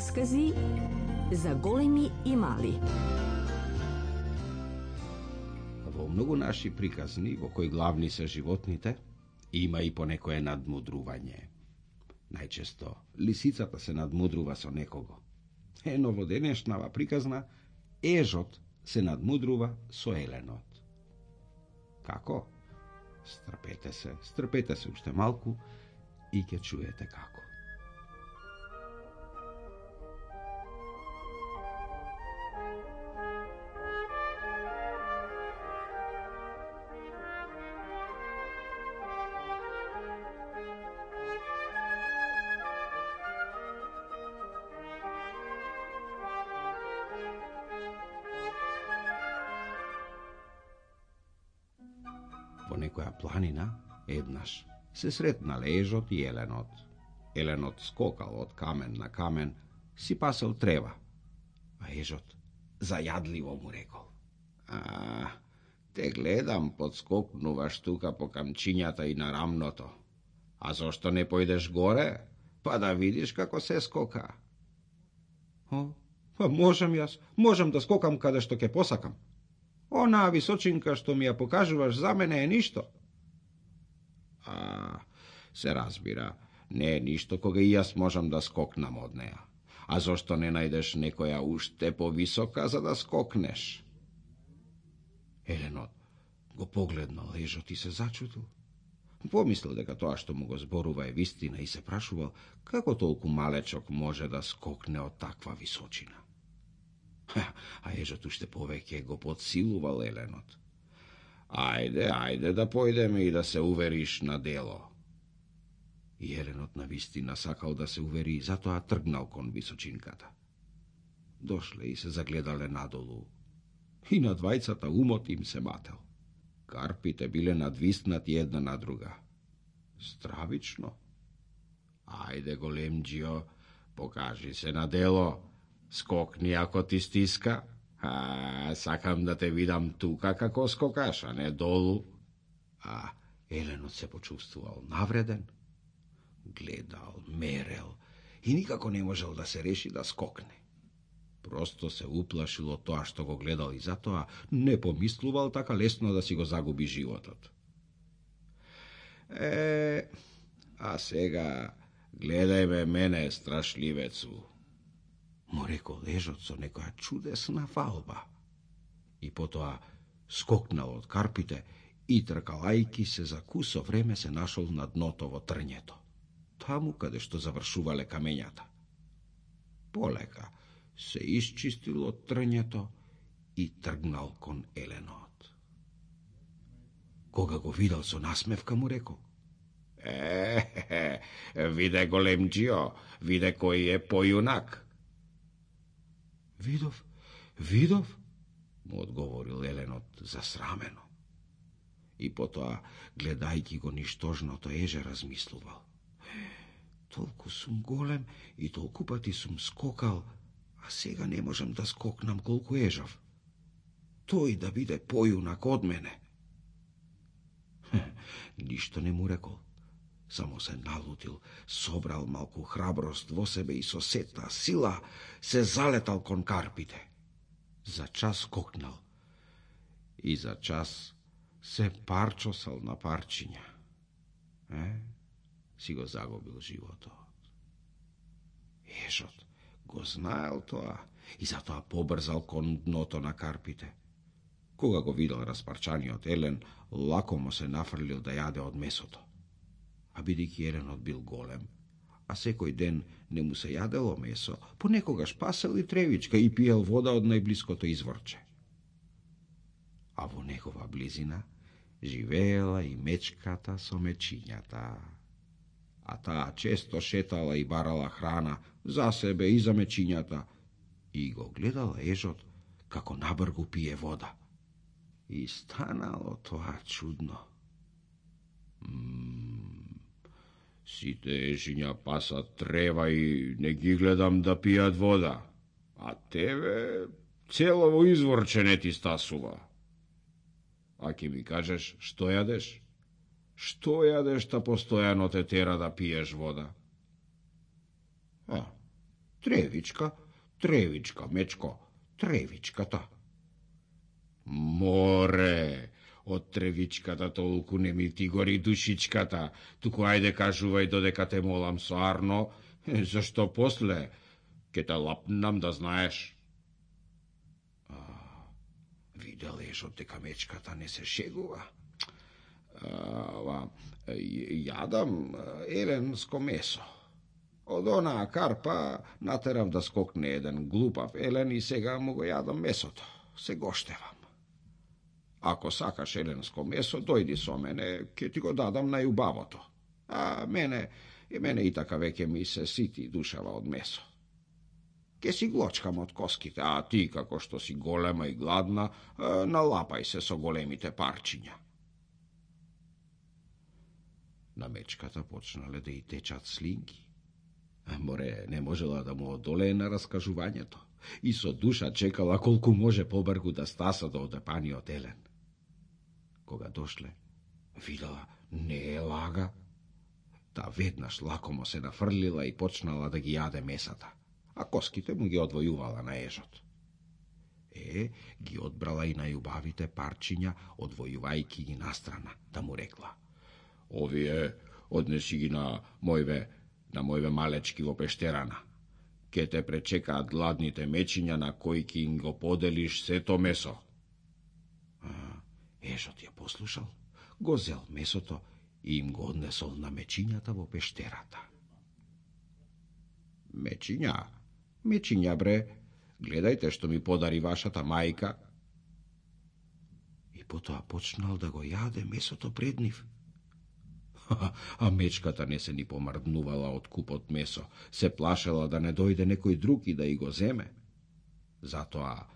Раскази за големи и мали. Во многу наши приказни, во кои главни се животните, има и понекое надмудрување. Најчесто лисицата се надмудрува со некого. Но во денешнава приказна, ежот се надмудрува со еленот. Како? Стрпете се уште малку и ќе чуете како. Во некоја планина, еднаш, се сретнале ежот и еленот. Еленот скокал од камен на камен, си пасел трева, а ежот зајадливо му рекол: Те гледам, подскокнуваш тука по камчињата и на рамното. А зошто не појдеш горе, па да видиш како се скока? Па можам да скокам каде што ќе посакам. Онаа височинка што ми ја покажуваш за мене е ништо. Се разбира, не е ништо кога и јас можам да скокнам од неа. А зошто не најдеш некоја уште повисока за да скокнеш? Еленот го погледнал ежот и се зачудил. Помислил дека тоа што му го зборува е вистина и се прашувал како толку малечок може да скокне од таква височина. А ежот уште повеќе го подсилувал еленот. Ајде да појдеме и да се увериш на дело. И еленот на вистина сакал да се увери и затоа тргнал кон височинката. Дошле и се загледале надолу. И на двајцата умот им се мател. Карпите биле надвиснати една на друга. Стравично. Ајде, големџио, покажи се на дело. Скокни ако ти стиска. Сакам да те видам тука како скокаш, а не долу. Еленот се почувствувал навреден. Гледал, мерел и никако не можел да се реши да скокне. Просто се уплашил од тоа што го гледал и затоа не помислувал така лесно да си го загуби животот. А сега гледај ме мене, страшливецу, му рекол ежот со некоја чудесна фалба. И потоа скокнал од карпите и тркалајки се за кусо време се нашол на дното во трњето, таму каде што завршувале камењата. Полека се исчистил од трњето и тргнал кон еленот. Кога го видел со насмевка му рекол: Виде, големџио, виде кој е појунак. Видов, му одговорил еленот засрамено. И потоа, гледајќи го ништожното еже, размислувал: Толку сум голем и толку пати сум скокал, а сега не можам да скокнам колку ежов. Тој да биде појунак од мене. Ништо не му рекол, само се налутил, собрал малку храброст во себе и со сета сила се залетал кон карпите. За час скокнал и за час се парчосал на парчиња. Си го загубил животот. Ежот го знаел тоа и затоа побрзал кон дното на карпите. Кога го видел распарчаниот елен, лако му се нафрлил да јаде од месото. А бидејќи еленот бил голем, а секој ден не му се јадело месо, понекогаш пасел и тревичка и пиел вода од најблиското изворче. А во негова близина живеела и мечката со мечињата. А таа често шетала и барала храна за себе и за мечињата и го гледала ежот како набргу пие вода. И станало тоа чудно. Сите ежиња пасат трева и не ги гледам да пијат вода, а тебе целово изворче не ти стасува. А ке ми кажеш што јадеш? Што јадеш та постојано те тера да пиеш вода? Тревичка, Тревичка, мечко, Тревичката. Море, од Тревичката толку не ми ти гори душичката, туку ајде кажувај додека те молам со Арно, зашто после ке те лапнам да знаеш. Видел ежот дека мечката не се шегува. Јадам еленско месо. Од онаа карпа натерав да скокне еден глупав елен и сега му го јадам месото. Се гоштевам. Ако сакаш еленско месо, дојди со мене, ке ти го дадам најубавото. А мене и така веќе ми се сити душава од месо. Ке си глочкам од коските, а ти, како што си голема и гладна, налапај се со големите парчиња. На мечката почнале да и течат слинки. Море не можела да му одолее на раскажувањето и со душа чекала колку може побргу да стаса до одепаниот елен. Кога дошле, видела не е лага. Та веднаш лакомо се нафрлила и почнала да ги јаде месата, а коските му ги одвојувала на ежот. Ги одбрала и најубавите парчиња, одвојувајки ги настрана, да му рекла: овие однеси ги на мојве малечки во пештерана. Ке те пречекаат гладните мечиња на кои ки им го поделиш сето месо. Ежот ја послушал, го зел месото и им го однесол на мечињата во пештерата. Мечиња бре, гледајте што ми подари вашата мајка. И потоа почнал да го јаде месото пред нив. А мечката не се ни помрднувала од купот месо, се плашела да не дојде некој друг и да и го земе. Затоа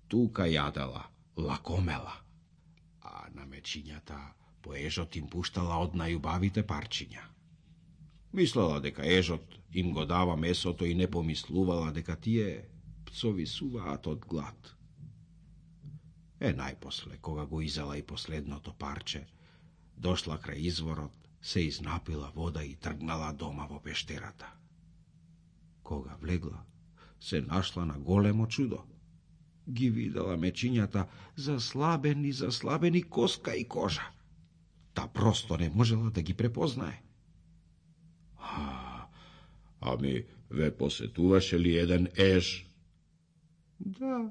тука јадела, лакомела, а на мечињата по ежот им пуштала од најубавите парчиња. Мислела дека ежот им го дава месото и не помислувала дека тие пцови суваат од глад. Најпосле, кога го изела и последното парче, дошла крај изворот, се изнапила вода и тргнала дома во пештерата. Кога влегла, се нашла на големо чудо. Ги видела мечињата заслабени коска и кожа. Та просто не можела да ги препознае. Ами, ве посетуваше ли еден еж? Да,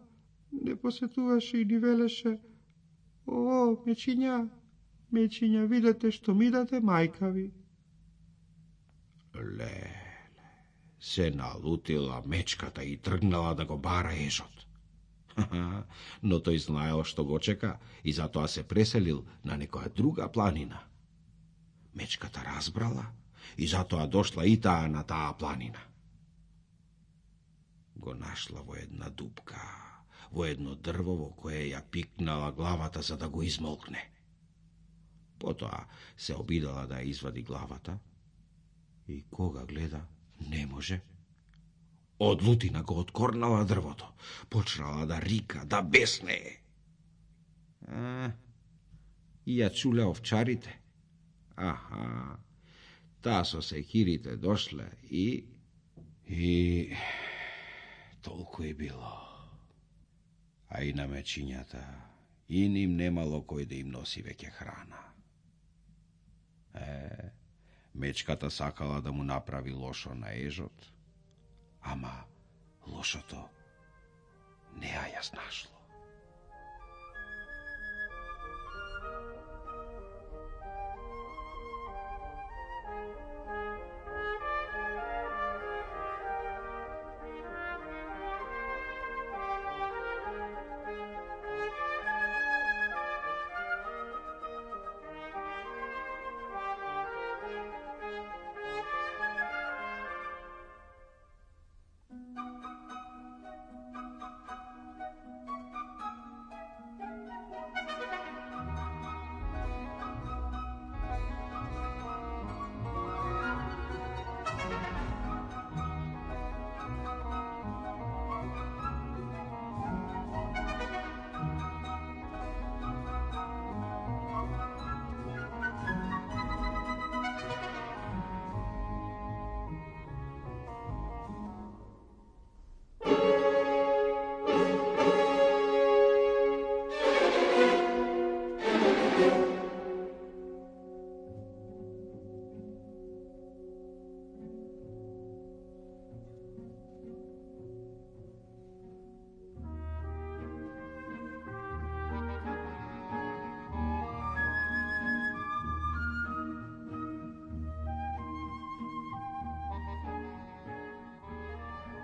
не посетуваше и ни велеше: о, мечиња, видете што ми даде мајка ви. Леле, се налутила мечката и тргнала да го бара ежот. Но тој знаел што го чека и затоа се преселил на некоја друга планина. Мечката разбрала и затоа дошла и таа на таа планина. Го нашла во една дупка, во едно дрво во кое ја пикнала главата за да го измолкне. Потоа се обидала да ја извади главата и кога гледа, не може. Од лутина го откорнала дрвото, почнала да рика, да беснее. И ја чуле овчарите. Таа со секирите дошле и толку и било. А и на мечињата, и ним немало кој да им носи веќе храна. Мечката сакала да му направи лошо на ежот, ама лошото не ја знашло.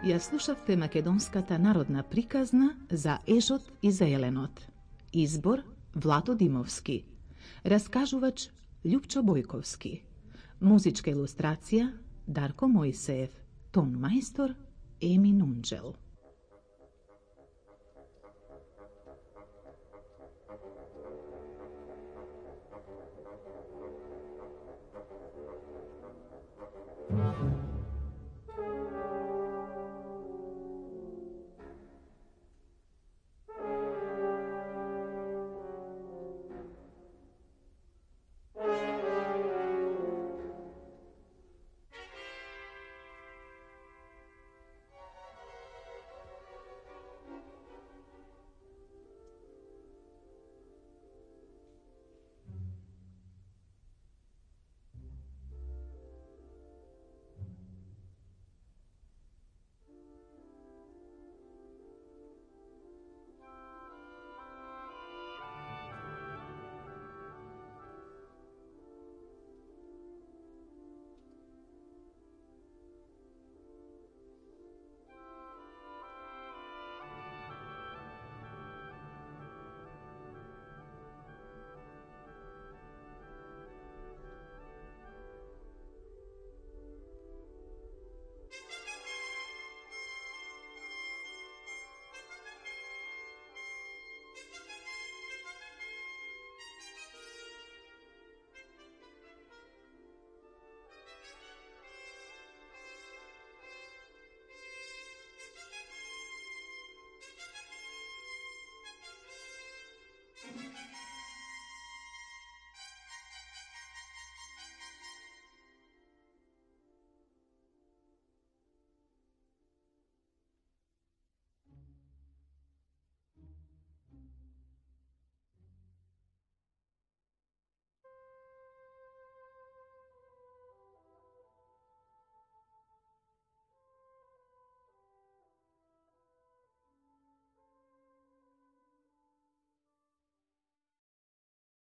Ја слушавте македонската народна приказна за ежот и за еленот. Избор Влато Димовски. Раскажувач Љупчо Бојковски. Музичка илустрација Дарко Мојсеев. Тон мајстор Еми Нунџел.